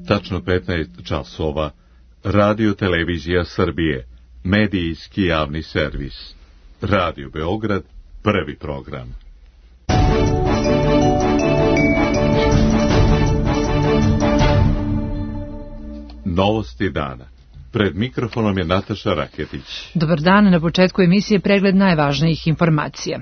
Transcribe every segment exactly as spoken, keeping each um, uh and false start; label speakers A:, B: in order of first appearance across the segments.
A: Tačno petnaest časova. Radio Televizija Srbije. Medijski javni servis. Radio Beograd, prvi program. Novosti dana. Pred mikrofonom je Nataša Raketić.
B: Dobar dan, na početku emisije pregled najvažnijih informacija.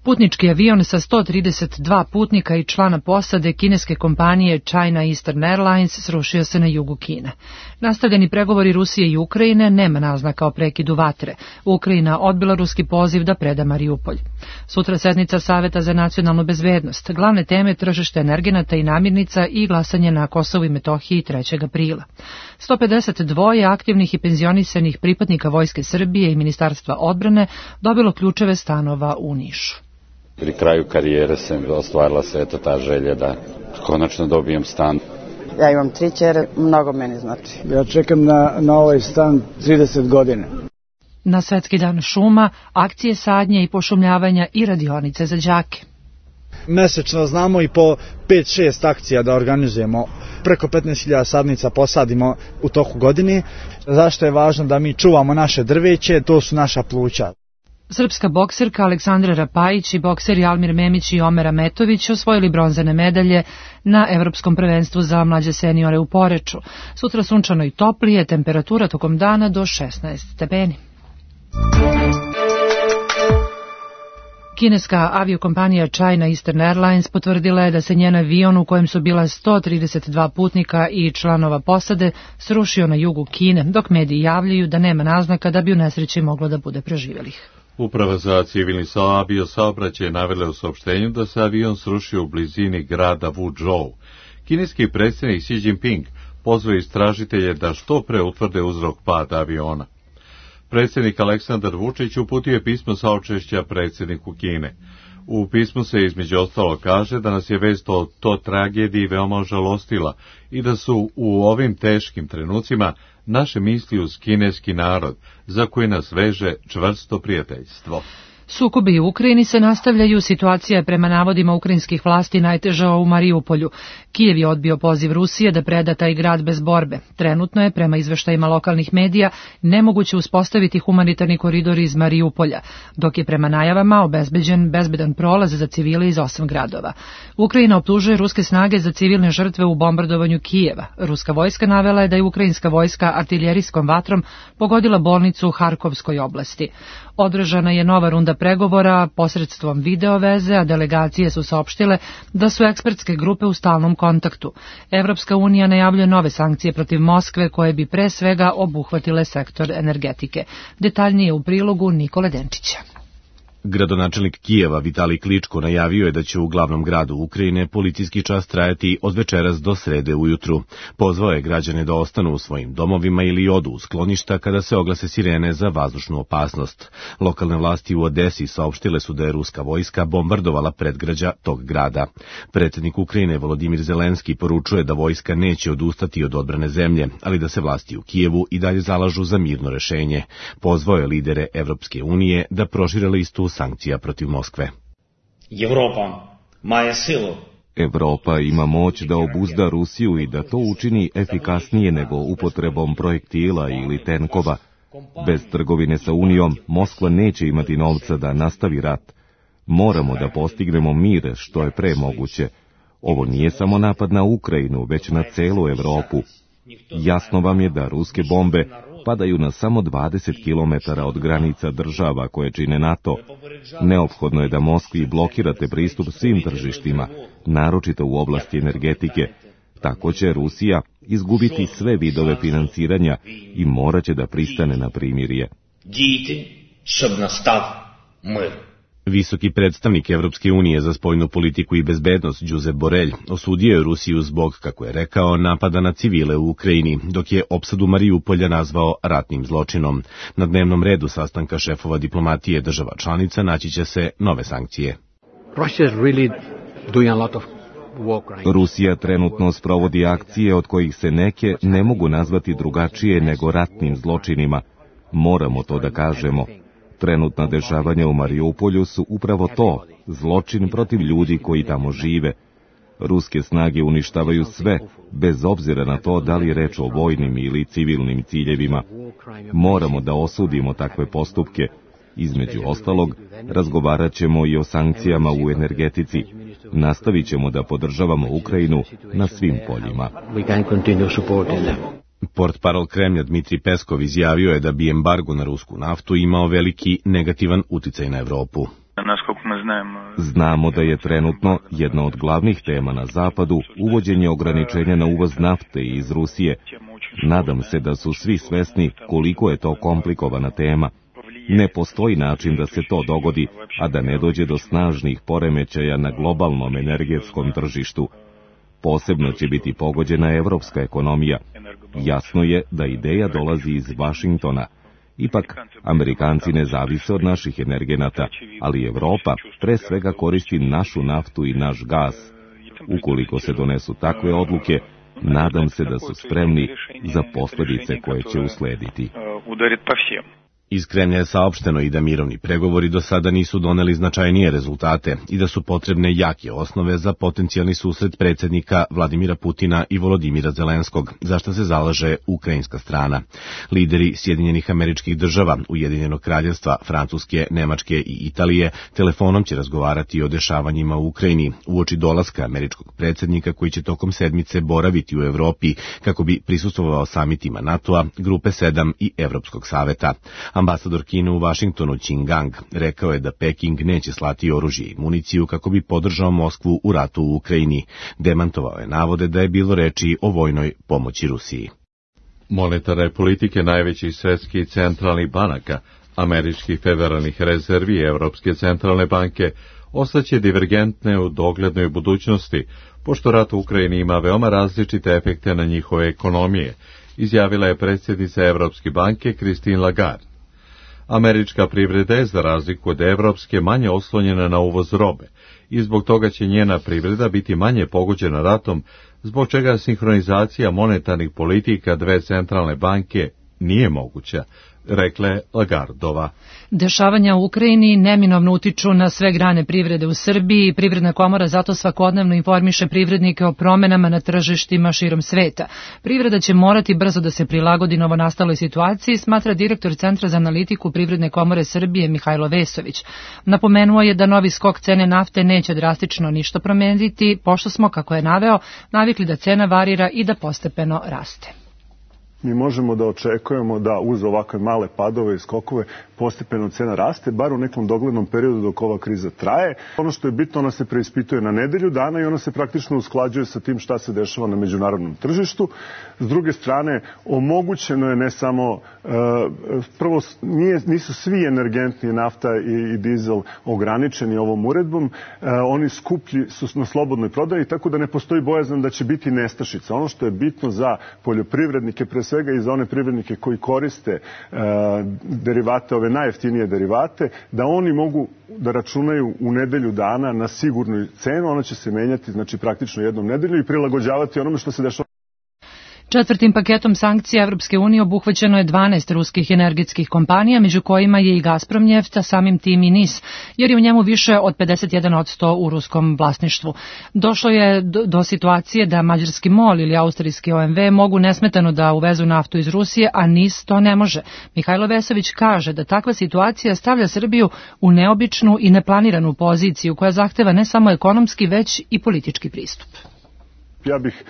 B: Putnički avion sa sto trideset dva putnika i člana posade kineske kompanije China Eastern Airlines srušio se na jugu Kine. Nastavljeni pregovori Rusije i Ukrajine, nema naznaka o prekidu vatre. Ukrajina odbila ruski poziv da preda Mariupolj. Sutra sednica Saveta za nacionalnu bezbednost. Glavne teme tržište energenata i namirnica i glasanje na Kosovu i Metohiji trećeg aprila. sto pedeset dva aktivnih i penzionisanih pripadnika Vojske Srbije i Ministarstva odbrane dobilo ključeve stanova u Nišu.
C: Pri kraju karijere se ostvarila se eto ta želja da konačno dobijem stan.
D: Ja imam tri ćere, mnogo meni znači.
E: Ja čekam na, na ovaj stan trideset godina.
B: Na Svetski dan šuma, akcije sadnje i pošumljavanja i radionice za đake.
E: Mesečno znamo i po pet šest akcija da organizujemo. Preko petnaest hiljada sadnica posadimo u toku godine. Zašto je važno da mi čuvamo naše drveće? To su naša pluća.
B: Srpska bokserka Aleksandra Rapajić i bokseri Almir Memić i Omer Ametović osvojili bronzane medalje na Evropskom prvenstvu za mlađe seniore u Poreču. Sutra sunčano i toplije, temperatura tokom dana do šesnaest stepeni. Kineska aviokompanija China Eastern Airlines potvrdila je da se njen avion u kojem su bila sto trideset dva putnika i članova posade srušio na jugu Kine, dok mediji javljaju da nema naznaka da bi u nesreći moglo da bude preživjelih.
A: Uprava za civilni aviosaobraćaj navela u saopštenju da se avion srušio u blizini grada Wuzhou. Kineski predsjednik Xi Jinping pozvao istražitelje da što pre utvrde uzrok pada aviona. Predsjednik Aleksandar Vučić uputio je pismo saučešća predsjedniku Kine. U pismu se između ostalo kaže da nas je vest o to tragediji veoma ožalostila i da su u ovim teškim trenucima naše misli uz kineski narod, za koji nas veže čvrsto prijateljstvo.
B: Sukobi u Ukrajini se nastavljaju, situacija je prema navodima ukrajinskih vlasti najteža u Mariupolju. Kijev je odbio poziv Rusije da preda taj grad bez borbe. Trenutno je, prema izveštajima lokalnih medija, nemoguće uspostaviti humanitarni koridor iz Mariupolja, dok je prema najavama obezbeđen bezbedan prolaz za civile iz osam gradova. Ukrajina optužuje ruske snage za civilne žrtve u bombardovanju Kijeva. Ruska vojska navela je da je ukrajinska vojska artiljerijskom vatrom pogodila bolnicu u Harkovskoj oblasti. Održana je nova runda pregovora posredstvom videoveze, a delegacije su saopštile da su ekspertske grupe u stalnom kontaktu. Evropska unija najavljuje nove sankcije protiv Moskve koje bi pre svega obuhvatile sektor energetike. Detaljnije u prilogu Nikole Denčića.
F: Gradonačelnik Kijeva Vitalij Kličko najavio je da će u glavnom gradu Ukrajine policijski čas trajati od večeras do srede ujutru. Pozvao je građane da ostanu u svojim domovima ili odu u skloništa kada se oglase sirene za vazdušnu opasnost. Lokalne vlasti u Odesi saopštile su da je ruska vojska bombardovala predgrađa tog grada. Predsjednik Ukrajine Volodimir Zelenski poručuje da vojska neće odustati od odbrane zemlje, ali da se vlasti u Kijevu i dalje zalažu za mirno rešenje. Pozvao je lidere Evropske unije da prošire listu sankcija protiv Moskve.
G: Evropa maje silu.
H: Evropa ima moć da obuzda Rusiju i da to učini efikasnije nego upotrebom projektila ili tenkova. Bez trgovine sa Unijom, Moskva neće imati novca da nastavi rat. Moramo da postignemo mir što je pre moguće. Ovo nije samo napad na Ukrajinu, već na celu Evropu. Jasno vam je da ruske bombe padaju na samo dvadeset kilometara od granica država koje čine NATO. Neophodno je da Moskvi blokirate pristup svim tržištima, naročito u oblasti energetike. Tako će Rusija izgubiti sve vidove finansiranja i morat će da pristane na primirje.
F: Visoki predstavnik Evropske unije za spoljnu politiku i bezbednost Josep Borrell osudio je Rusiju zbog, kako je rekao, napada na civile u Ukrajini, dok je opsadu Mariupolja nazvao ratnim zločinom. Na dnevnom redu sastanka šefova diplomatije država članica naći će se nove sankcije.
H: Rusija trenutno sprovodi akcije od kojih se neke ne mogu nazvati drugačije nego ratnim zločinima. Moramo to da kažemo. Trenutna dešavanja u Mariupolju su upravo to, zločin protiv ljudi koji tamo žive. Ruske snage uništavaju sve, bez obzira na to da li je reč o vojnim ili civilnim ciljevima. Moramo da osudimo takve postupke. Između ostalog, razgovarat ćemo i o sankcijama u energetici. Nastavit ćemo da podržavamo Ukrajinu na svim poljima.
F: Portparol Kremlja Dmitri Peskov izjavio je da bi embargo na rusku naftu imao veliki negativan uticaj na Evropu.
H: Znamo da je trenutno jedna od glavnih tema na Zapadu uvođenje ograničenja na uvoz nafte iz Rusije. Nadam se da su svi svesni koliko je to komplikovana tema. Ne postoji način da se to dogodi, a da ne dođe do snažnih poremećaja na globalnom energetskom tržištu. Posebno će biti pogođena evropska ekonomija. Jasno je da ideja dolazi iz Vašingtona. Ipak, Amerikanci ne zavise od naših energenata, ali Evropa pre svega koristi našu naftu i naš gas. Ukoliko se donesu takve odluke, nadam se da su spremni za posljedice koje će uslediti.
F: Iz Kremlja je saopšteno i da mirovni pregovori do sada nisu doneli značajnije rezultate i da su potrebne jake osnove za potencijalni susret predsjednika Vladimira Putina i Volodimira Zelenskog, za što se zalaže ukrajinska strana. Lideri Sjedinjenih Američkih Država, Ujedinjenog Kraljevstva, Francuske, Nemačke i Italije telefonom će razgovarati o dešavanjima u Ukrajini uoči dolaska američkog predsjednika koji će tokom sedmice boraviti u Evropi kako bi prisustvovao samitima NATO-a, Grupe sedam i Evropskog saveta. Ambasador Kine u Vašingtonu Qin Gang rekao je da Peking neće slati oružje i municiju kako bi podržao Moskvu u ratu u Ukrajini. Demantovao je navode da je bilo reči o vojnoj pomoći Rusiji.
A: Monetarne politike najvećih svetskih centralnih banaka, američkih federalnih rezervi i Evropske centralne banke ostaće divergentne u doglednoj budućnosti, pošto rat u Ukrajini ima veoma različite efekte na njihove ekonomije, izjavila je predsjednica Evropske banke Christine Lagarde. Američka privreda je za razliku od evropske manje oslonjena na uvoz robe i zbog toga će njena privreda biti manje pogođena ratom, zbog čega sinhronizacija monetarnih politika dve centralne banke nije moguća, rekla je Lagardova.
B: Dešavanja u Ukrajini neminovno utiču na sve grane privrede u Srbiji i Privredna komora zato svakodnevno informiše privrednike o promenama na tržištima širom sveta. Privreda će morati brzo da se prilagodi novonastaloj situaciji, smatra direktor Centra za analitiku Privredne komore Srbije Mihajlo Vesović. Napomenuo je da novi skok cene nafte neće drastično ništa promeniti, pošto smo, kako je naveo, navikli da cena varira i da postepeno raste.
I: Mi možemo da očekujemo da uz ovakve male padove i skokove postepeno cena raste, bar u nekom doglednom periodu dok ova kriza traje. Ono što je bitno, ona se preispituje na nedelju dana i ona se praktično usklađuje sa tim šta se dešava na međunarodnom tržištu. S druge strane, omogućeno je ne samo, e, prvo nije, nisu svi energentni nafta i, i dizel ograničeni ovom uredbom, e, oni skuplji su na slobodnoj prodaji, tako da ne postoji bojazan da će biti nestašica. Ono što je bitno za poljoprivrednike, pre svega i za one privrednike koji koriste e, derivate, ove najjeftinije derivate, da oni mogu da računaju u nedelju dana na sigurnu cenu, ona će se menjati znači praktično jednom nedelju i prilagođavati onome što se dešava.
B: Četvrtim paketom sankcija Evropske unije obuhvaćeno je dvanaest ruskih energetskih kompanija, među kojima je i Gazprom neft, a samim tim i N I S, jer je u njemu više od pedeset jedan posto u ruskom vlasništvu. Došlo je do, do situacije da mađarski MOL ili austrijski O M V mogu nesmetano da uvezu naftu iz Rusije, a N I S to ne može. Mihajlo Vesović kaže da takva situacija stavlja Srbiju u neobičnu i neplaniranu poziciju koja zahteva ne samo ekonomski, već i politički pristup.
I: Ja bih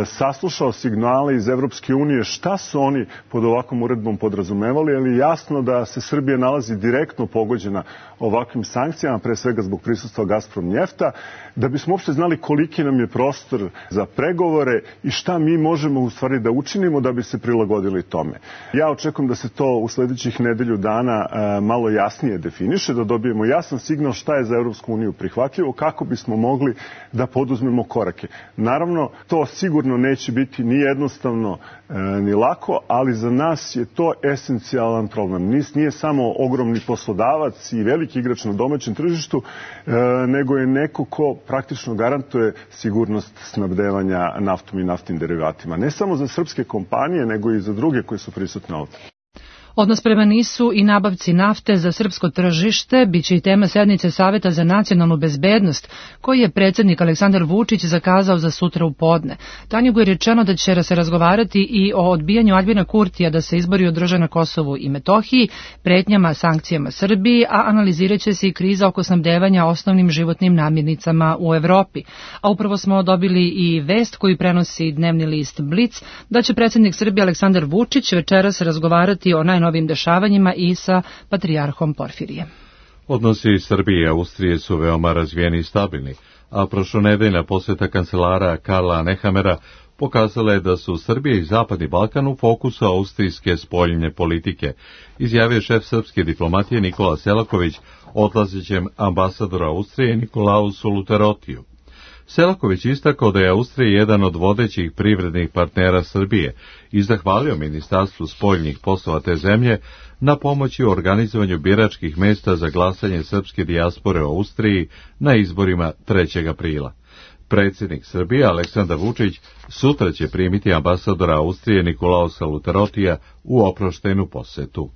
I: saslušao signale iz Evropske unije šta su oni pod ovakvom uredbom podrazumevali, ali je jasno da se Srbija nalazi direktno pogođena ovakvim sankcijama, pre svega zbog prisustva Gazprom njefta, da bismo uopšte znali koliki nam je prostor za pregovore i šta mi možemo u stvari da učinimo da bi se prilagodili tome. Ja očekujem da se to u sledećih nedelju dana malo jasnije definiše, da dobijemo jasan signal šta je za Evropsku uniju prihvatljivo, kako bismo mogli da poduzmemo korake. Naravno, to sigurno neće biti ni jednostavno e, ni lako, ali za nas je to esencijalan problem. Nis nije samo ogromni poslodavac i veliki igrač na domaćem tržištu, e, nego je neko ko praktično garantuje sigurnost snabdevanja naftom i naftnim derivatima. Ne samo za srpske kompanije, nego i za druge koje su prisutne ovdje.
B: Odnos prema nisu i nabavci nafte za srpsko tržište biće i tema sednice Saveta za nacionalnu bezbednost, koji je predsjednik Aleksandar Vučić zakazao za sutra u podne. Tanjugu je rečeno da će se razgovarati i o odbijanju Aljbina Kurtija da se izbori održe na Kosovu i Metohiji, pretnjama sankcijama Srbiji, a analizirat će se i kriza oko snabdevanja osnovnim životnim namirnicama u Evropi. A upravo smo dobili i vest koju prenosi dnevni list Blic, da će predsjednik Srbije Aleksandar Vučić večeras razgovarati o najnovijim dešavanjima i sa patrijarhom Porfirijem.
A: Odnosi Srbije i Austrije su veoma razvijeni i stabilni, a prošlonedeljna posjeta kancelara Karla Nehamera pokazala je da su Srbija i Zapadni Balkan u fokusu austrijske spoljne politike, izjavio šef srpske diplomatije Nikola Selaković odlazećem ambasadora Austrije Nikolausu Luterotiju. Selaković istakao da je Austrija jedan od vodećih privrednih partnera Srbije i zahvalio Ministarstvu spoljnih poslova te zemlje na pomoći u organizovanju biračkih mesta za glasanje srpske dijaspore u Austriji na izborima trećeg aprila. Predsjednik Srbije Aleksandar Vučić sutra će primiti ambasadora Austrije Nikolausa Luterotija u oproštenu posetu.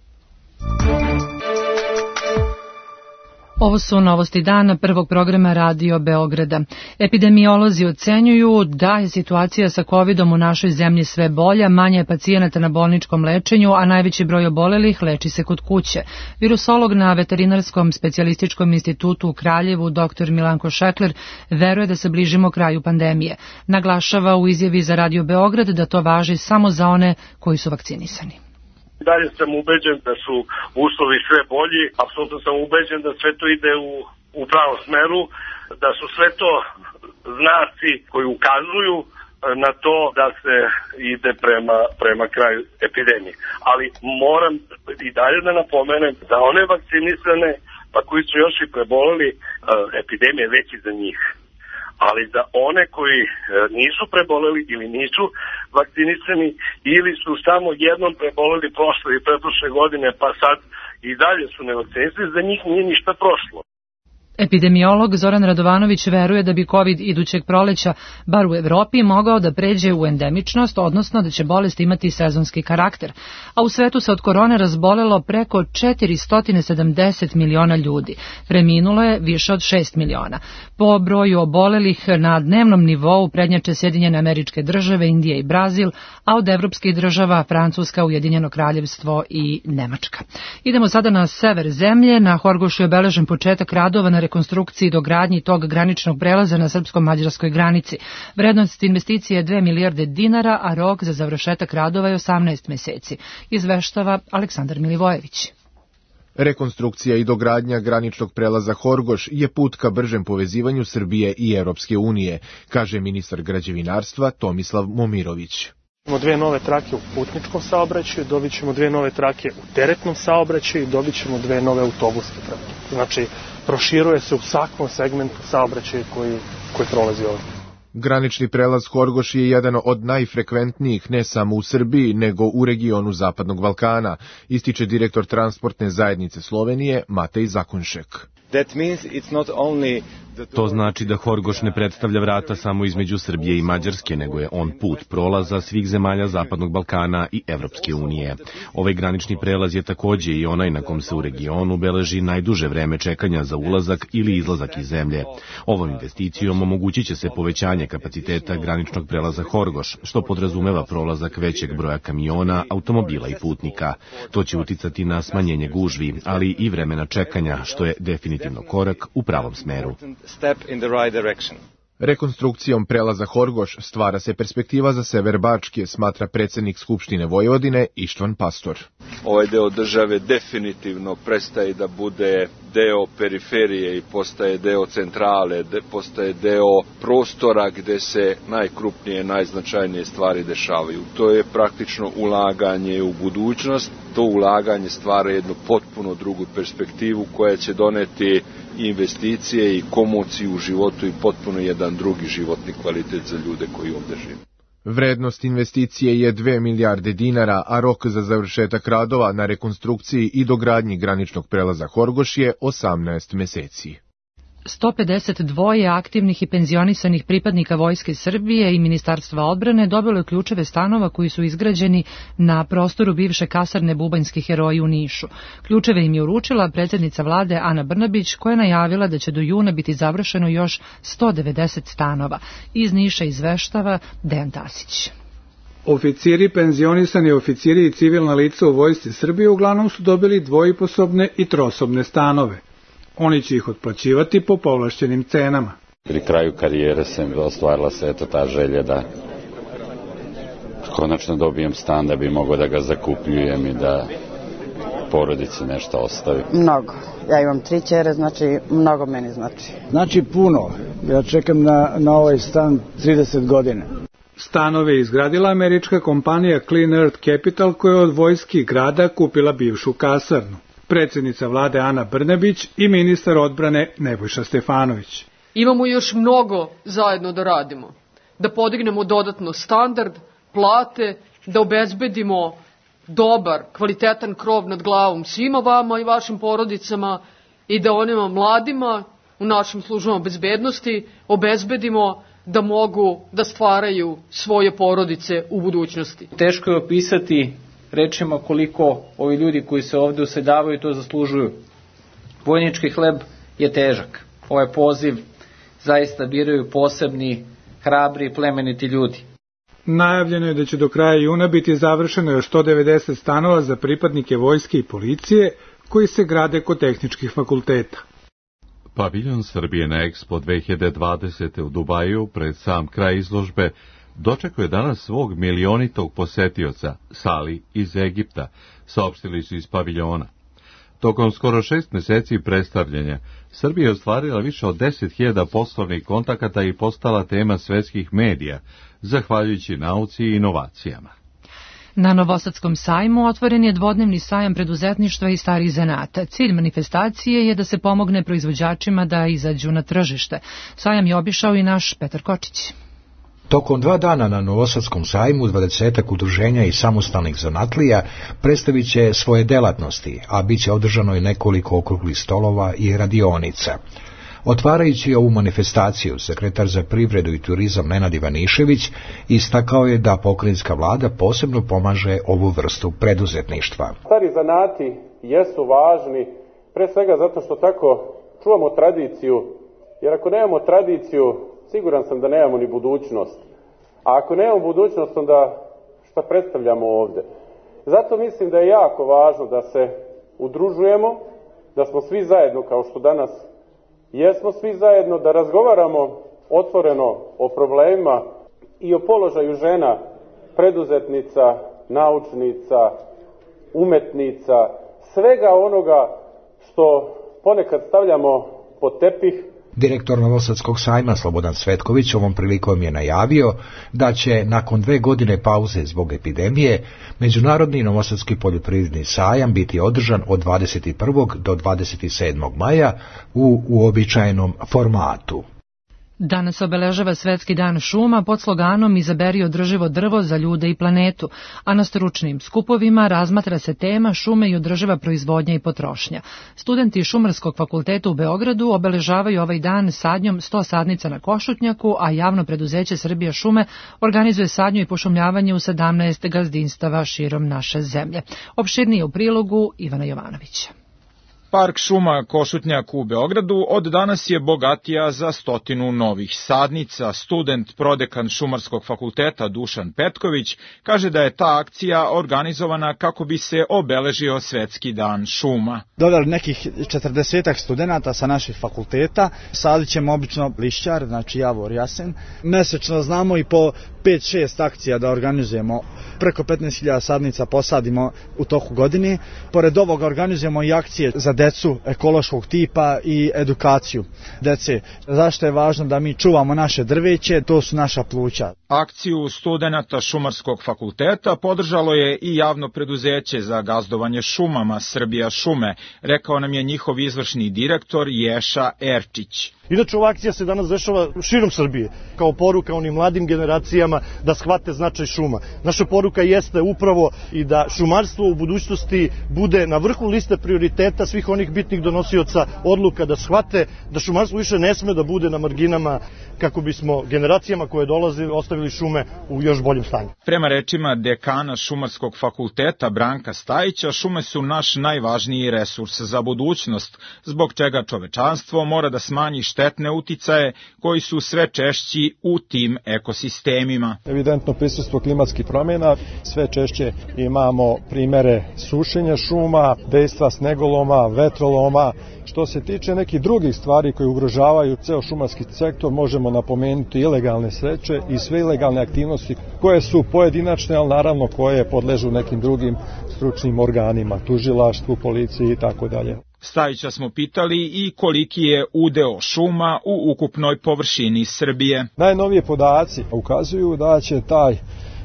B: Ovo su novosti dana prvog programa Radio Beograda. Epidemiolozi ocenjuju da je situacija sa covidom u našoj zemlji sve bolja, manje je pacijenata na bolničkom lečenju, a najveći broj obolelih leči se kod kuće. Virusolog na Veterinarskom specijalističkom institutu u Kraljevu, doktor Milanko Šekler, veruje da se bližimo kraju pandemije. Naglašava u izjavi za Radio Beograd da to važi samo za one koji su vakcinisani.
J: Dalje sam ubeđen da su uslovi sve bolji, apsolutno sam ubeđen da sve to ide u, u pravom smeru, da su sve to znaci koji ukazuju na to da se ide prema, prema kraju epidemije. Ali moram i dalje da napomenem da one vakcinisane, pa koji su još i preboleli, epidemije veći za njih. Ali za one koji nisu preboleli ili nisu vakcinisani ili su samo jednom preboleli prošle i pretprošle godine pa sad i dalje su nevakcinisani, za njih nije ništa prošlo.
B: Epidemiolog Zoran Radovanović veruje da bi COVID idućeg proleća, bar u Evropi, mogao da pređe u endemičnost, odnosno da će bolest imati sezonski karakter. A u svetu se od korone razbolelo preko četiristo sedamdeset miliona ljudi. Preminulo je više od šest miliona. Po broju obolelih na dnevnom nivou prednjače Sjedinjene Američke Države, Indija i Brazil, a od evropskih država Francuska, Ujedinjeno Kraljevstvo i Nemačka. Idemo sada na sever zemlje. Na Horgošu je obeležen početak radova na rekonstrukciji i dogradnji tog graničnog prelaza na srpsko-mađarskoj granici. Vrednost investicije je dve milijarde dinara, a rok za završetak radova je osamnaest meseci, izveštava Aleksandar Milivojević.
K: Rekonstrukcija i dogradnja graničnog prelaza Horgoš je put ka bržem povezivanju Srbije i Evropske unije, kaže ministar građevinarstva Tomislav Momirović.
L: Dobit ćemo dve nove trake u putničkom saobraćaju, dobit ćemo dve nove trake u teretnom saobraćaju i dobit ćemo dve nove autobuske trake. Znači, proširuje se u svakom segmentu saobraćaja koji, koji prolazi ovdje.
K: Granični prelaz Horgoš je jedan od najfrekventnijih ne samo u Srbiji, nego u regionu Zapadnog Balkana, ističe direktor transportne zajednice Slovenije Matej Zakonšek.
F: To znači da Horgoš ne predstavlja vrata samo između Srbije i Mađarske, nego je on put prolaza svih zemalja Zapadnog Balkana i Evropske unije. Ovaj granični prelaz je takođe i onaj na kom se u regionu beleži najduže vreme čekanja za ulazak ili izlazak iz zemlje. Ovom investicijom omogućit će se povećanje kapaciteta graničnog prelaza Horgoš, što podrazumeva prolazak većeg broja kamiona, automobila i putnika. To će uticati na smanjenje gužvi, ali i vremena čekanja, što je definitivno korak u pravom smeru.
K: Rekonstrukcijom prelaza Horgoš stvara se perspektiva za sever Bačke, smatra predsjednik Skupštine Vojvodine Ištvan Pastor.
M: Ovaj deo države definitivno prestaje da bude deo periferije i postaje deo centrale, de, postaje deo prostora gde se najkrupnije, najznačajnije stvari dešavaju. To je praktično ulaganje u budućnost, to ulaganje stvara jednu potpuno drugu perspektivu koja će doneti investicije i komociju u životu i potpuno jedan drugi životni kvalitet za ljude koji ovdje žive.
K: Vrednost investicije je dve milijarde dinara, a rok za završetak radova na rekonstrukciji i dogradnji graničnog prelaza Horgoš je osamnaest meseci.
B: sto pedeset dva aktivnih i penzionisanih pripadnika Vojske Srbije i Ministarstva odbrane dobilo je ključeve stanova koji su izgrađeni na prostoru bivše kasarne Bubanjski heroji u Nišu. Ključeve im je uručila predsjednica vlade Ana Brnabić, koja je najavila da će do juna biti završeno još sto devedeset stanova. Iz Niša izveštava Dejan Tasić.
N: Oficiri, penzionisani oficiri i civilna lica u Vojsci Srbije uglavnom su dobili dvojiposobne i trosobne stanove. Oni će ih otplaćivati po povlašćenim cenama.
C: Pri kraju karijere sam ostvarila se eto ta želja da konačno dobijem stan, da bi mogao da ga zakupljujem i da porodici nešto ostavim.
D: Mnogo. Ja imam tri ćere, znači mnogo meni znači.
E: Znači puno. Ja čekam na, na ovaj stan trideset godina.
N: Stanove je izgradila američka kompanija Clean Earth Capital, koja je od vojski grada kupila bivšu kasarnu. Predsjednica vlade Ana Brnabić i ministar odbrane Nebojša Stefanović.
O: Imamo još mnogo zajedno da radimo. Da podignemo dodatno standard, plate, da obezbedimo dobar, kvalitetan krov nad glavom svima vama i vašim porodicama i da onima mladima u našim službama bezbednosti obezbedimo da mogu da stvaraju svoje porodice u budućnosti.
P: Teško je opisati rečima koliko ovi ljudi koji se ovde useljavaju to zaslužuju. Vojnički hleb je težak. Ovaj poziv zaista biraju posebni, hrabri i plemeniti ljudi.
N: Najavljeno je da će do kraja juna biti završeno još sto devedeset stanova za pripadnike vojske i policije koji se grade kod tehničkih fakulteta.
A: Paviljon Srbije na Expo dve hiljade dvadesete u Dubaju pred sam kraj izložbe dočekuje danas svog milionitog posetioca, Sali iz Egipta, saopštili su iz paviljona. Tokom skoro šest meseci predstavljanja, Srbija je ostvarila više od deset hiljada poslovnih kontakata i postala tema svetskih medija, zahvaljujući nauci i inovacijama.
B: Na Novosadskom sajmu otvoren je dvodnevni sajam preduzetništva i starih zanata. Cilj manifestacije je da se pomogne proizvođačima da izađu na tržište. Sajam je obišao i naš Petar Kočić.
Q: Tokom dva dana na Novosadskom sajmu dvadesetak udruženja i samostalnih zanatlija predstavit će svoje delatnosti, a bit će održano i nekoliko okruglih stolova i radionica. Otvarajući ovu manifestaciju, sekretar za privredu i turizam Nenad Ivanišević istakao je da pokrajinska vlada posebno pomaže ovu vrstu preduzetništva.
R: Stari zanati jesu važni, pre svega zato što tako čuvamo tradiciju, jer ako nemamo tradiciju, siguran sam da nemamo ni budućnost. A ako nemamo budućnost, onda šta predstavljamo ovde? Zato mislim da je jako važno da se udružujemo, da smo svi zajedno, kao što danas jesmo svi zajedno, da razgovaramo otvoreno o problemima i o položaju žena, preduzetnica, naučnica, umetnica, svega onoga što ponekad stavljamo pod tepih.
Q: Direktor Novosadskog sajma Slobodan Svetković ovom prilikom je najavio da će nakon dve godine pauze zbog epidemije Međunarodni Novosadski poljoprivredni sajam biti održan od dvadeset prvog do dvadeset sedmog maja u uobičajenom formatu.
B: Danas obeležava Svetski dan šuma pod sloganom Izaberi održivo drvo za ljude i planetu, a na stručnim skupovima razmatra se tema šume i održiva proizvodnja i potrošnja. Studenti Šumarskog fakulteta u Beogradu obeležavaju ovaj dan sadnjom sto sadnica na Košutnjaku, a javno preduzeće Srbija šume organizuje sadnju i pošumljavanje u sedamnaest gazdinstava širom naše zemlje. Opširnije u prilogu Ivana Jovanovića.
S: Park šuma Košutnjak u Beogradu od danas je bogatija za stotinu novih sadnica. Student prodekan Šumarskog fakulteta Dušan Petković kaže da je ta akcija organizovana kako bi se obeležio Svetski dan šuma.
E: Dodali nekih četrdesetak studenata sa naših fakulteta, sadit ćemo obično lišćar, znači javor, jasen. Mesečno znamo i po pet šest akcija da organizujemo. Preko petnaest hiljada sadnica posadimo u toku godine. Pored ovoga organizujemo i akcije za decu ekološkog tipa i edukaciju dece. Zašto je važno da mi čuvamo naše drveće, to su naša pluća.
S: Akciju studenata Šumarskog fakulteta podržalo je i javno preduzeće za gazdovanje šumama Srbija šume, rekao nam je njihov izvršni direktor Ješa Erčić.
T: Inače, ova akcija se danas dešava širom Srbije, kao poruka onim mladim generacijama da shvate značaj šuma. Naša poruka jeste upravo i da šumarstvo u budućnosti bude na vrhu liste prioriteta svih onih bitnih donosioca odluka, da shvate da šumarstvo više ne sme da bude na marginama, kako bismo generacijama koje dolaze ostavili šume u još boljem stanju.
S: Prema rečima dekana Šumarskog fakulteta Branka Stajića, šume su naš najvažniji resurs za budućnost, zbog čega čovečanstvo mora da smanji štetne uticaje koji su sve češći u tim ekosistemima.
U: Evidentno prisustvo klimatskih promjena, sve češće imamo primere sušenja šuma, dejstva snegoloma, vetroloma. Što se tiče nekih drugih stvari koje ugrožavaju ceo šumarski sektor, možemo napomenuti ilegalne seče i sve ilegalne aktivnosti koje su pojedinačne, ali naravno koje podležu nekim drugim stručnim organima, tužilaštvu, policiji i tako dalje.
S: Stajića smo pitali i koliki je udeo šuma u ukupnoj površini Srbije.
U: Najnovije podaci ukazuju da će taj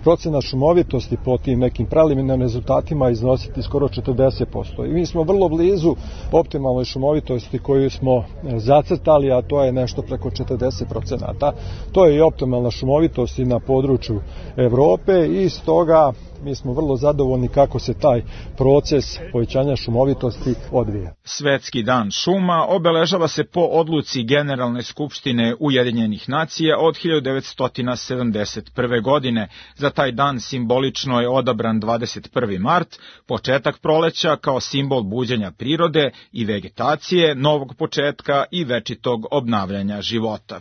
U: procena šumovitosti po tim nekim preliminarnim rezultatima iznositi skoro četrdeset posto. I mi smo vrlo blizu optimalnoj šumovitosti koju smo zacrtali, a to je nešto preko četrdeset procenata. To je i optimalna šumovitost i na području Evrope i stoga mi smo vrlo zadovoljni kako se taj proces povećanja šumovitosti odvija.
S: Svetski dan šuma obeležava se po odluci Generalne skupštine Ujedinjenih nacija od hiljadu devetsto sedamdeset prve. godine. Za taj dan simbolično je odabran dvadeset prvi mart, početak proleća kao simbol buđenja prirode i vegetacije, novog početka i večitog obnavljanja života.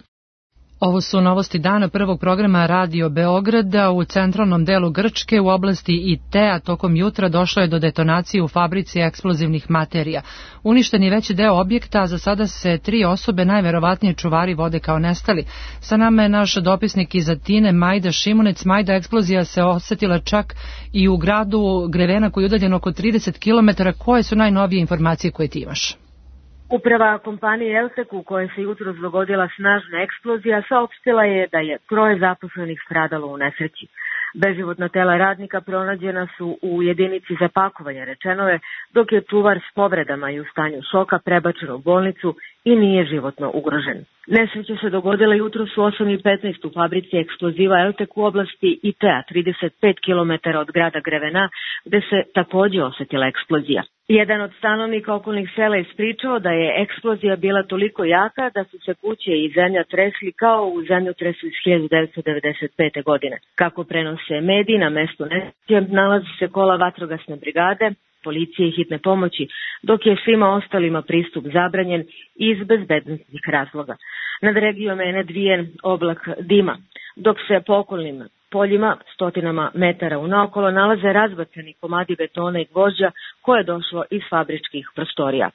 B: Ovo su novosti dana prvog programa Radio Beograda. U centralnom delu Grčke u oblasti I T A tokom jutra došlo je do detonacije u fabrici eksplozivnih materija. Uništen je veći deo objekta, a za sada se tri osobe, najverovatnije čuvari, vode kao nestali. Sa nama je naš dopisnik iz Atine, Majda Šimunec. Majda, eksplozija se osetila čak i u gradu Grevena koji je udaljen oko trideset kilometara. Koje su najnovije informacije koje ti imaš?
V: Uprava kompanije Eltek, u kojoj se jutros dogodila snažna eksplozija, saopštila je da je troje zaposlenih stradalo u nesreći. Beživotna tela radnika pronađena su u jedinici za pakovanje, rečeno je, dok je čuvar s povredama i u stanju šoka prebačen u bolnicu i nije životno ugrožen. Nesreća se dogodila jutros u osam i petnaest u fabrici eksploziva Eltek u oblasti I T A, trideset pet kilometara od grada Grevena, gde se takođe osetila eksplozija. Jedan od stanovnika okolnih sela ispričao da je eksplozija bila toliko jaka da su se kuće i zemlja tresli kao u zemljotresu iz hiljadu devetsto devedeset pete. godine. Kako prenose mediji, na mestu nesreće nalazi se kola vatrogasne brigade, policije i hitne pomoći, dok je svima ostalima pristup zabranjen iz bezbednostnih razloga. Nad regijom je nadvijen oblak dima, dok se po okolnim poljima, stotinama metara unaokolo, nalaze razbacani komadi betona i gvožđa koje je došlo iz fabričkih prostorija.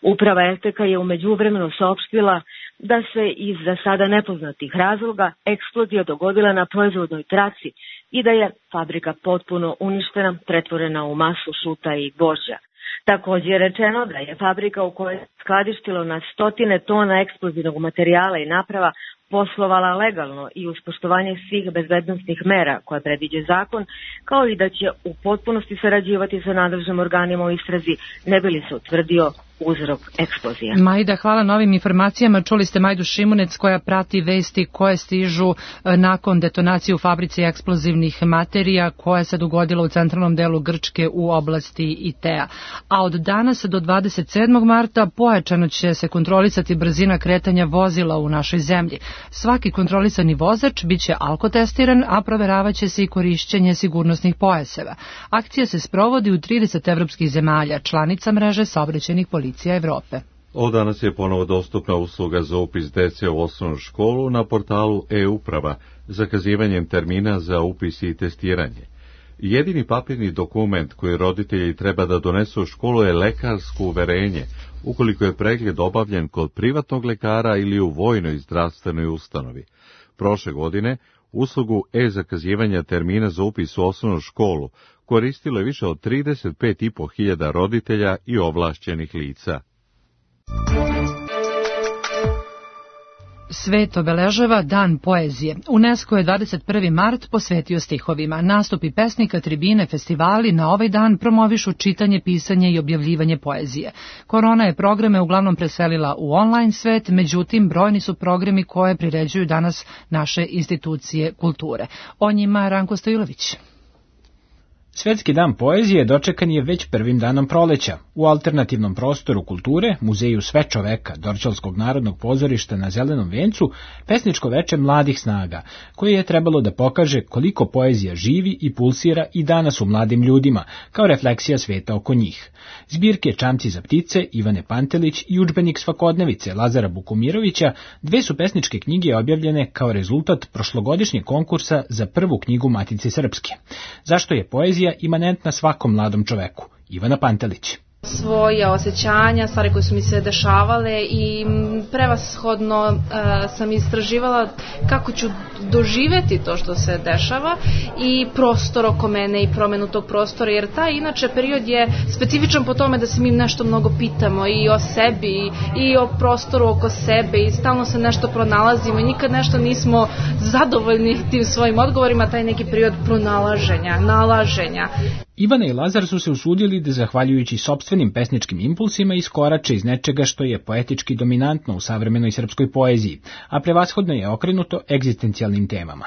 V: Uprava Elteka je u međuvremenu saopštila da se iz za sada nepoznatih razloga eksplozija dogodila na proizvodnoj traci i da je fabrika potpuno uništena, pretvorena u masu šuta i gvožđa. Također je rečeno da je fabrika u kojoj je skladištilo na stotine tona eksplozivnog materijala i naprava poslovala legalno i uz poštovanje svih bezbednostnih mera koje predviđa zakon, kao i da će u potpunosti sarađivati sa nadležnim organima u istrazi, ne bi li se utvrdio uzrok eksplozije.
B: Majda, hvala na ovim informacijama. Čuli ste Majdu Šimunec koja prati vesti koje stižu nakon detonacije u fabrici eksplozivnih materija koja se dogodila u centralnom delu Grčke u oblasti I T A. A od danas do dvadeset sedmog marta pojačano će se kontrolisati brzina kretanja vozila u našoj zemlji. Svaki kontrolisani vozač bit će alkotestiran, a proveravaće se i korišćenje sigurnosnih pojaseva. Akcija se sprovodi u trideset evropskih zemalja, članica mreže saobraćajnih policija Evrope.
A: Od danas je ponovo dostupna usluga za upis dece u osnovnu školu na portalu e-uprava, zakazivanjem termina za upis i testiranje. Jedini papirni dokument koji roditelji treba da donesu u školu je lekarsko uverenje, ukoliko je pregled obavljen kod privatnog lekara ili u vojnoj zdravstvenoj ustanovi. Prošle godine uslugu e-zakazivanja termina za upis u osnovnu školu koristilo je više od trideset pet i po hiljada roditelja i ovlašćenih lica.
B: Svet obeležava Dan poezije. UNESCO je dvadeset prvi mart posvetio stihovima. Nastupi pesnika, tribine, festivali na ovaj dan promovišu čitanje, pisanje i objavljivanje poezije. Korona je programe uglavnom preselila u online svet, međutim brojni su programi koje priređuju danas naše institucije kulture. O njima Ranko Stojilović.
G: Svetski dan poezije dočekan je već prvim danom proleća. U alternativnom prostoru kulture, muzeju Sve čoveka Dorćolskog narodnog pozorišta na Zelenom vencu, pesničko veče mladih snaga, koje je trebalo da pokaže koliko poezija živi i pulsira i danas u mladim ljudima, kao refleksija sveta oko njih. Zbirke Čamci za ptice Ivane Pantelić i udžbenik Svakodnevice Lazara Bukumirovića, dve su pesničke knjige objavljene kao rezultat prošlogodišnjeg konkursa za prvu knjigu Matice Srpske. Zašto je poezija imanentna svakom mladom čoveku? Ivana Pantelić.
H: Svoje osjećanja, stvari koje su mi se dešavale i prevashodno uh, sam istraživala kako ću doživeti to što se dešava i prostor oko mene i promenu tog prostora, jer taj inače period je specifičan po tome da se mi nešto mnogo pitamo i o sebi i o prostoru oko sebe i stalno se nešto pronalazimo i nikad nešto nismo zadovoljni tim svojim odgovorima, taj neki period pronalaženja, nalaženja.
G: Ivana i Lazar su se usudili da, zahvaljujući sopstvenim pesničkim impulsima, iskorače iz nečega što je poetički dominantno u savremenoj srpskoj poeziji, a prevashodno je okrenuto egzistencijalnim temama.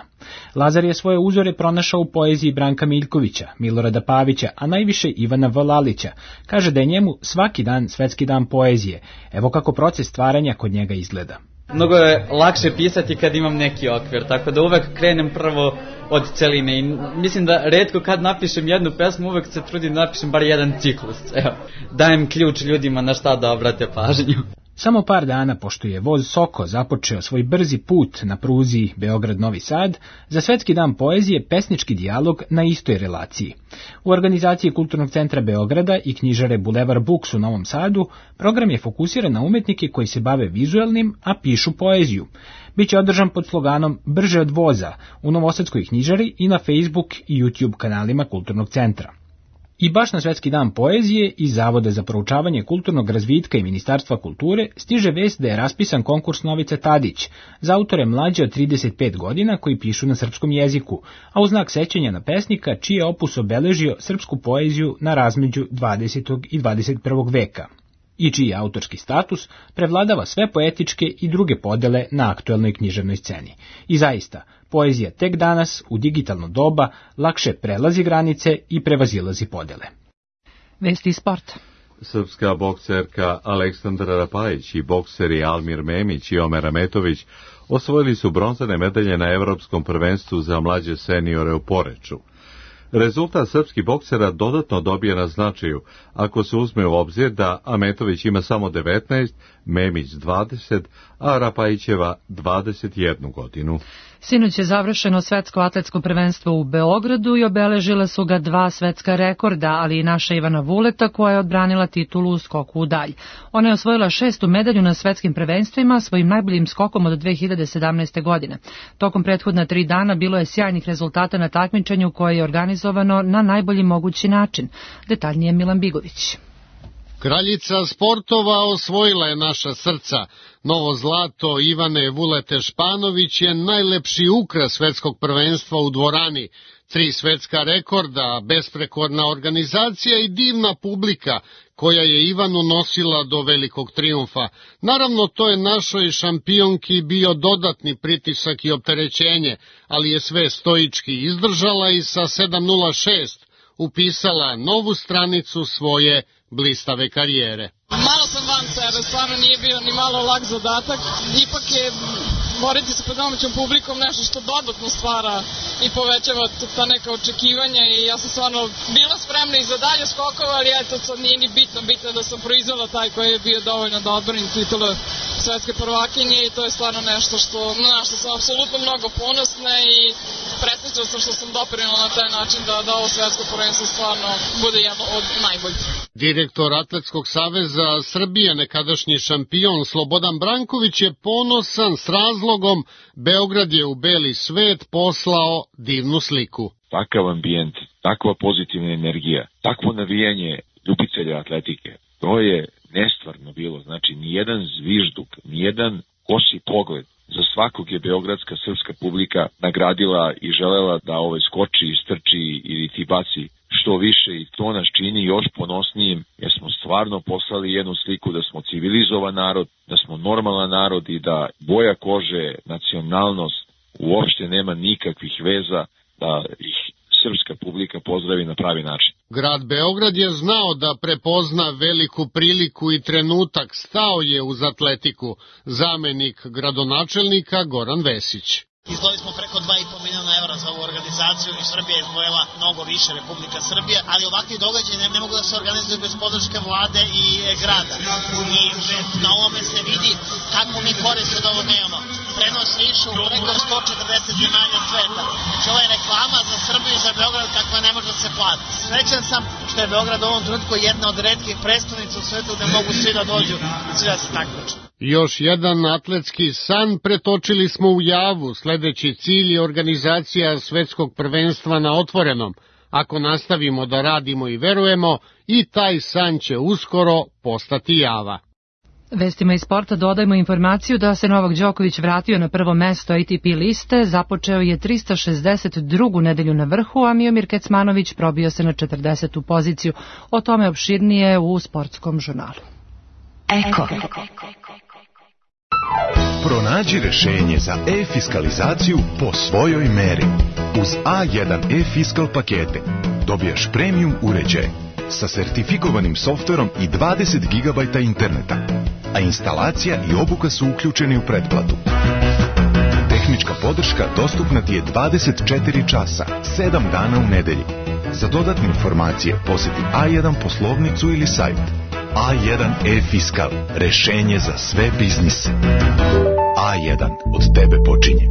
G: Lazar je svoje uzore pronašao u poeziji Branka Miljkovića, Milorada Pavića, a najviše Ivana Vlalića. Kaže da je njemu svaki dan svetski dan poezije. Evo kako proces stvaranja kod njega izgleda.
W: Mnogo je lakše pisati kad imam neki okvir, tako da uvek krenem prvo od celine i mislim da retko kad napišem jednu pesmu, uvek se trudim da napišem bar jedan ciklus. Evo, dajem ključ ljudima na šta da obrate pažnju.
G: Samo par dana pošto je voz Soko započeo svoj brzi put na pruzi Beograd-Novi Sad, za Svetski dan poezije pesnički dijalog na istoj relaciji. U organizaciji Kulturnog centra Beograda i knjižare Bulevar Books u Novom Sadu, program je fokusiran na umetnike koji se bave vizuelnim, a pišu poeziju. Biće održan pod sloganom Brže od voza u Novosadskoj knjižari i na Facebook i YouTube kanalima Kulturnog centra. I baš na Svetski dan poezije iz Zavoda za proučavanje kulturnog razvitka i Ministarstva kulture stiže vest da je raspisan konkurs Novice Tadić za autore mlađe od trideset pet godina koji pišu na srpskom jeziku, a u znak sećanja na pesnika čiji je opus obeležio srpsku poeziju na razmeđu dvadesetog i dvadeset prvog veka i čiji autorski status prevladava sve poetičke i druge podele na aktuelnoj književnoj sceni. I zaista, poezija tek danas, u digitalno doba, lakše prelazi granice i prevazilazi podele.
B: Vesti sport.
A: Srpska bokserka Aleksandra Rapajić i bokseri Almir Memić i Omer Ametović osvojili su bronzane medalje na Evropskom prvenstvu za mlađe seniore u Poreču. Rezultat srpskih boksera dodatno dobije na značaju, ako se uzme u obzir da Ametović ima samo devetnaest, Memić dvadeset, a Rapajićeva dvadeset jednu godinu.
B: Sinoć je završeno svetsko atletsko prvenstvo u Beogradu i obeležila su ga dva svetska rekorda, ali i naša Ivana Vuleta koja je odbranila titulu u skoku u dalj. Ona je osvojila šestu medalju na svetskim prvenstvima svojim najboljim skokom od dve hiljade sedamnaeste. godine. Tokom prethodna tri dana bilo je sjajnih rezultata na takmičenju koje je organizovano na najbolji mogući način. Detaljnije Milan Bigović.
X: Kraljica sportova osvojila je naša srca. Novo zlato Ivane Vulete Španović je najlepši ukras svetskog prvenstva u dvorani. Tri svetska rekorda, besprekorna organizacija i divna publika koja je Ivanu nosila do velikog trijumfa. Naravno, to je našoj šampionki bio dodatni pritisak i opterećenje, ali je sve stoički izdržala i sa sedam nula šest upisala novu stranicu svoje blistave karijere.
Y: Malo sam van sebe, stvarno nije bio ni malo lak zadatak, ipak je boriti se pred domaćom publikom nešto što dodatno stvara i povećava ta neka očekivanja i ja sam stvarno bila spremna i za dalje skokova, ali eto sad nije ni bitno, bitno je da sam proizvela taj koji je bio dovoljno da odbranim titulu svetske prvakinje i to je stvarno nešto što, na što sam apsolutno mnogo ponosna i presrećna sam što sam doprinula na taj način da, da ovo svetsko prvenstvo stvarno bude jedno od najboljih.
X: Direktor Atletskog saveza Srbije, nekadašnji šampion Slobodan Branković je ponosan s razlogom. Beograd je u beli svet poslao divnu sliku.
Z: Takav ambijent, takva pozitivna energija, takvo navijanje ljubitelja atletike, to je nestvarno bilo. Znači, nijedan zvižduk, nijedan kosi pogled. Za svakog je beogradska srpska publika nagradila i želela da ovaj skoči, istrči ili ti baci što više i to nas čini još ponosnijim jer smo stvarno poslali jednu sliku da smo civilizovan narod, da smo normalan narod i da boja kože, nacionalnost uopšte nema nikakvih veza, da ih srpska publika pozdravi na pravi način.
X: Grad Beograd je znao da prepozna veliku priliku i trenutak, stao je uz atletiku, zamenik gradonačelnika Goran Vesić.
F: Izdvojili smo preko dva i po miliona evra za ovu organizaciju i Srbija je izdvojila mnogo više, Republika Srbija, ali ovakvi događaji ne, ne mogu da se organizuju bez podrške vlade i e, grada. I na ovome se vidi kako mi korist od ovog nemamo. Prenos išu preko sto četrdeset zemalja sveta. Znači ovo je reklama za Srbiju i za Beograd kakva ne može da se plati. Srećan sam što je Beograd u ovom trenutku jedna od retkih prestonica u svetu gde mogu svi da dođu i svi da se takmiče.
X: Još jedan atletski san pretočili smo u javu, sledeći cilj je organizacija svetskog prvenstva na otvorenom. Ako nastavimo da radimo i verujemo, i taj san će uskoro postati java.
B: Vestima iz sporta dodajmo informaciju da se Novak Đoković vratio na prvo mesto A T P liste, započeo je trista šezdeset drugu nedelju na vrhu, a Miomir Kecmanović probio se na četrdesetu poziciju. O tome opširnije u sportskom žurnalu.
I: Eko. Pronađi rešenje za e-fiskalizaciju po svojoj meri. Uz A jedan e-fiskal pakete dobijaš premium uređaj sa sertifikovanim softverom i dvadeset gigabajta interneta, a instalacija i obuka su uključeni u pretplatu. Tehnička podrška dostupna ti je dvadeset četiri časa, sedam dana u nedelji. Za dodatne informacije poseti A jedan poslovnicu ili sajt. A jedan e-fiskal, rešenje za sve biznise. A jedan, od tebe počinje.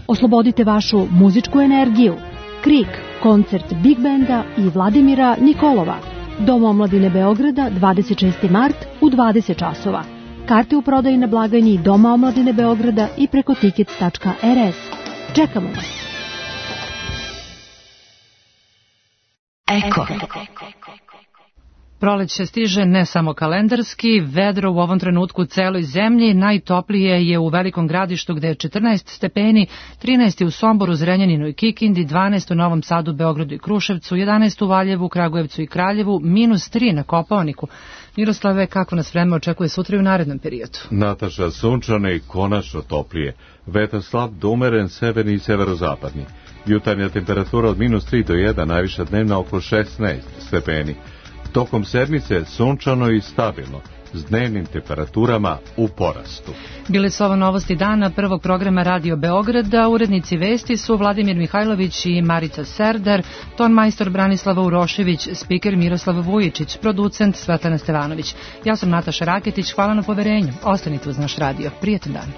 J: Oslobodite vašu muzičku energiju. Krik, koncert Big Benda i Vladimira Nikolova. Dom omladine Beograda, dvadeset šesti mart u dvadeset časova. Karte u prodaji na blagajni Doma omladine Beograda i preko tickets tačka er es. Čekamo vas.
I: Eko.
B: Proleće stiže ne samo kalendarski, vedro u ovom trenutku u celoj zemlji, najtoplije je u Velikom Gradištu gde je četrnaest stepeni, trinaest u Somboru, Zrenjaninu i Kikindi, dvanaest u Novom Sadu, Beogradu i Kruševcu, jedanaest u Valjevu, Kragujevcu i Kraljevu, minus tri na Kopaoniku. Miroslave, kako nas vreme očekuje sutra i u narednom periodu?
A: Nataša, sunčano i konačno toplije. Vetar slab do umeren, severni i severozapadni. Jutarnja temperatura od minus tri do jedan, najviša dnevna oko šesnaest stepeni. Tokom sedmice sunčano i stabilno, s dnevnim temperaturama u porastu.
B: Bile su ovo novosti dana prvog programa Radio Beograda. Urednici vesti su Vladimir Mihajlović i Marica Serdar, ton majstor Branislava Urošević, spiker Miroslav Vujičić, producent Svetlana Stevanović. Ja sam Nataša Raketić, hvala na poverenju. Ostanite uz naš radio. Prijetan dan.